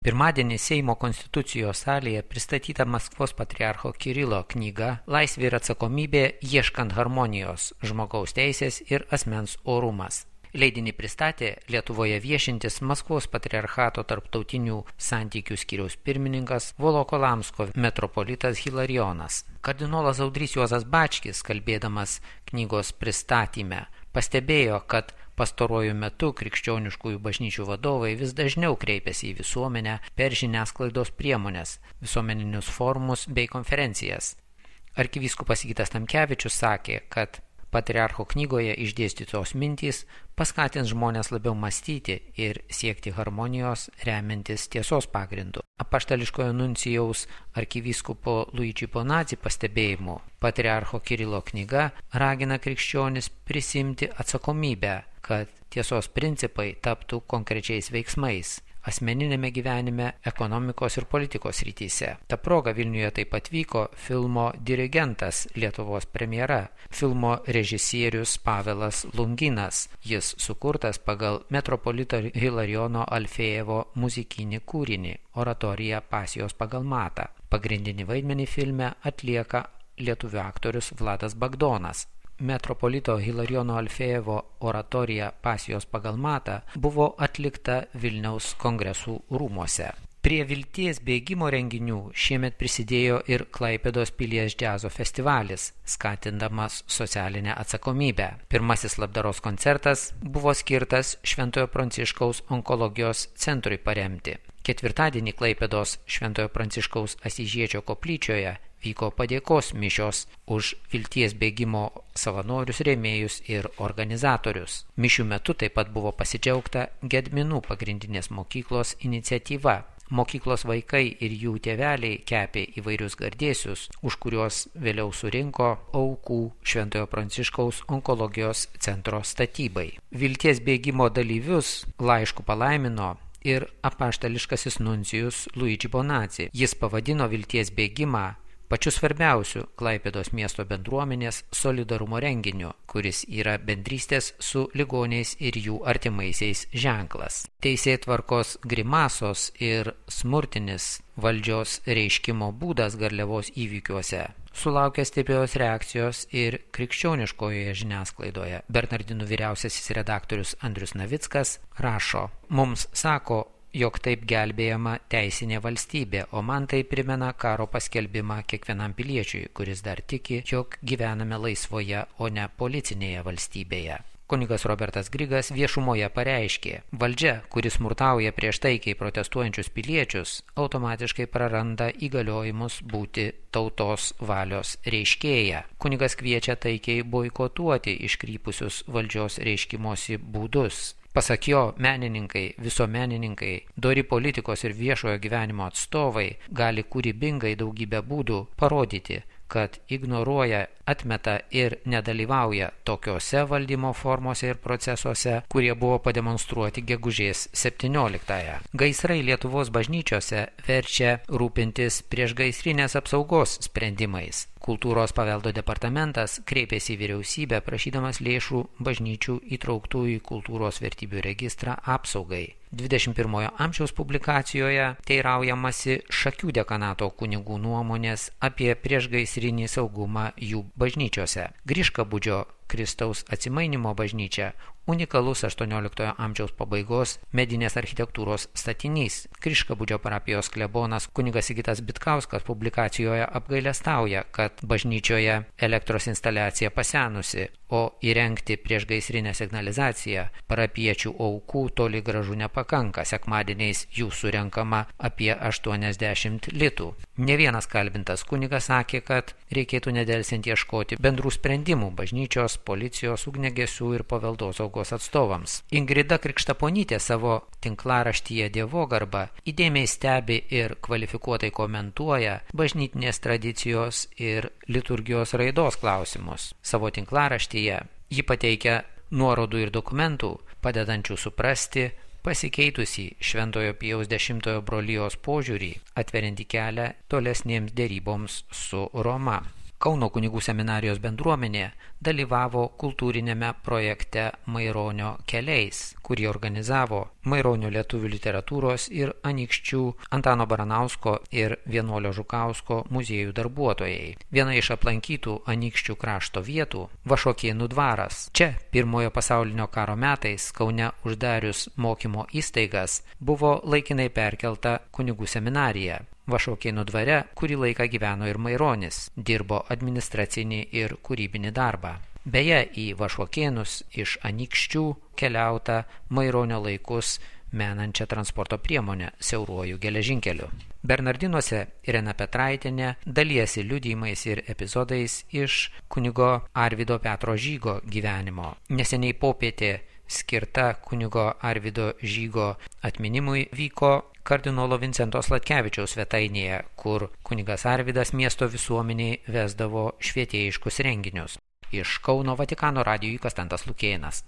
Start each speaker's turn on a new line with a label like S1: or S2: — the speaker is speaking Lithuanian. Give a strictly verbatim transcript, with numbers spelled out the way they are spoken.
S1: Pirmadienį Seimo konstitucijos salėje pristatyta Maskvos patriarcho Kirilo knyga Laisvė ir atsakomybė ieškant harmonijos, žmogaus teisės ir asmens orumas. Leidinį pristatė Lietuvoje viešintis Maskvos patriarchato tarptautinių santykių skyriaus pirmininkas Volokolamsko metropolitas Hilarionas. Kardinolas Audrys Juozas Bačkis, kalbėdamas knygos pristatyme, pastebėjo, kad pastaruoju metu krikščioniškųjų bažnyčių vadovai vis dažniau kreipiasi į visuomenę per žiniasklaidos priemonės, visuomeninius forumus bei konferencijas. Arkivyskupas Sigitas Tamkevičius sakė, kad patriarcho knygoje išdėstytos mintys paskatins žmonės labiau mąstyti ir siekti harmonijos remiantis tiesos pagrindu. Apaštališkojo nuncijaus arkivyskupo Luigi Bonazzi pastebėjimu, patriarcho Kirilo knyga ragina krikščionis prisimti atsakomybę, kad tiesos principai taptų konkrečiais veiksmais asmeninėme gyvenime, ekonomikos ir politikos rytise. Ta proga Vilniuje taip pat vyko filmo Dirigentas Lietuvos premjera, filmo režisierius Pavelas Lunginas. Jis sukurtas pagal metropolito Hilariono Alfėjevo muzikinį kūrinį Oratorija pasijos pagal matą. Pagrindinį vaidmenį filme atlieka lietuvių aktorius Vladas Bagdonas. Metropolito Hilariono Alfėjevo oratorija pasijos pagal matą buvo atlikta Vilniaus kongresų rūmuose. Prie vilties bėgimo renginių šiemet prisidėjo ir Klaipėdos pilies džiazo festivalis, skatindamas socialinę atsakomybę. Pirmasis labdaros koncertas buvo skirtas Šventojo Pranciškaus onkologijos centrui paremti. Ketvirtadienį Klaipėdos Šventojo Pranciškaus Asyžiečio koplyčioje vyko padėkos mišios už vilties bėgimo savanorius, rėmėjus ir organizatorius. Mišių metu taip pat buvo pasidžiaugta Gedminų pagrindinės mokyklos iniciatyva. Mokyklos vaikai ir jų tėveliai kepė įvairius gardėsius, už kuriuos vėliau surinko aukų Šventojo Pranciškaus onkologijos centro statybai. Vilties bėgimo dalyvius laišku palaimino ir apaštališkasis nuncijus Luigi Bonazzi. Jis pavadino vilties bėgimą pačiu svarbiausiu Klaipėdos miesto bendruomenės solidarumo renginiu, kuris yra bendrystės su ligoniais ir jų artimaisiais ženklas. Teisėtvarkos grimasos ir smurtinis valdžios reiškimo būdas Garliavos įvykiuose sulaukė stiprios reakcijos ir krikščioniškojoje žiniasklaidoje. Bernardinų vyriausiasis redaktorius Andrius Navickas rašo: mums sako, jog taip gelbėjama teisinė valstybė, o man tai primena karo paskelbimą kiekvienam piliečiui, kuris dar tiki, jog gyvename laisvoje, o ne policinėje valstybėje. Kunigas Robertas Grigas viešumoje pareiškė: valdžia, kuris smurtauja prieš taikiai protestuojančius piliečius, automatiškai praranda įgaliojimus būti tautos valios reiškėja. Kunigas kviečia taikiai boikotuoti iškrypusius valdžios reiškimosi būdus. Pasak jo, menininkai, visuomenininkai, dori politikos ir viešojo gyvenimo atstovai gali kūrybingai daugybę būdų parodyti, kad ignoruoja, atmeta ir nedalyvauja tokiose valdymo formose ir procesuose, kurie buvo pademonstruoti gegužės septynioliktąją. Gaisrai Lietuvos bažnyčiose verčia rūpintis priešgaisrinės apsaugos sprendimais. Kultūros paveldo departamentas kreipėsi į vyriausybę prašydamas lėšų bažnyčių įtrauktų į kultūros vertybių registrą apsaugai. dvidešimt pirmojo amžiaus publikacijoje teiraujamasi Šakių dekanato kunigų nuomonės apie priešgaisrinį saugumą jų bažnyčiose. Griškabūdžio Kristaus atsimainimo bažnyčia unikalus aštuonioliktojo amžiaus pabaigos medinės architektūros statinys. Griškabūdžio parapijos klebonas kunigas Sigitas Bitkauskas publikacijoje apgailestauja, kad bažnyčioje elektros instaliacija pasenusi, o įrengti priešgaisrinę signalizaciją parapiečių aukų toli gražu nepakanka. Sekmadieniais jų surenkama apie aštuoniasdešimt litų. Ne vienas kalbintas kunigas sakė, kad reikėtų nedelsiant ieškoti bendrų sprendimų bažnyčios, policijos, ugniagesių ir paveldosaugos atstovams. Ingrida Krikštaponytė savo tinklaraštyje Dievogarba įdėmiai stebi ir kvalifikuotai komentuoja bažnytinės tradicijos ir liturgijos raidos klausimus. Savo tinklaraštyje ji pateikia nuorodų ir dokumentų, padedančių suprasti pasikeitusi Šventojo Pijaus dešimtojo brolijos požiūrį, atverianti kelią tolesnėms dėryboms su Roma. Kauno kunigų seminarijos bendruomenė dalyvavo kultūrinėme projekte Maironio keliais, kurį organizavo Maironio lietuvių literatūros ir Anykščių Antano Baranausko ir Vienuolio Žukausko muziejų darbuotojai. Viena iš aplankytų Anykščių krašto vietų – Vašuokėnų dvaras. Čia pirmojo pasaulinio karo metais Kaune uždarius mokymo įstaigas buvo laikinai perkelta kunigų seminarija. Vašuokėnų dvare kurį laiką gyveno ir Maironis, dirbo administracinį ir kūrybinį darbą. Beje, į Vašuokėnus iš Anykščių keliauta Maironio laikus menančią transporto priemonę siauruoju geležinkeliu. Bernardinuose Irena Petraitienė dalijasi liudijimais ir epizodais iš kunigo Arvydo Petro Žygo gyvenimo. Neseniai popietė skirta kunigo Arvydo Žygo atminimui vyko kardinolo Vincento Sladkevičiaus svetainėje, kur kunigas Arvydas miesto visuomeniai vesdavo švietėjiškus renginius. Iš Kauno Vatikano radijui Konstantas Lukėnas.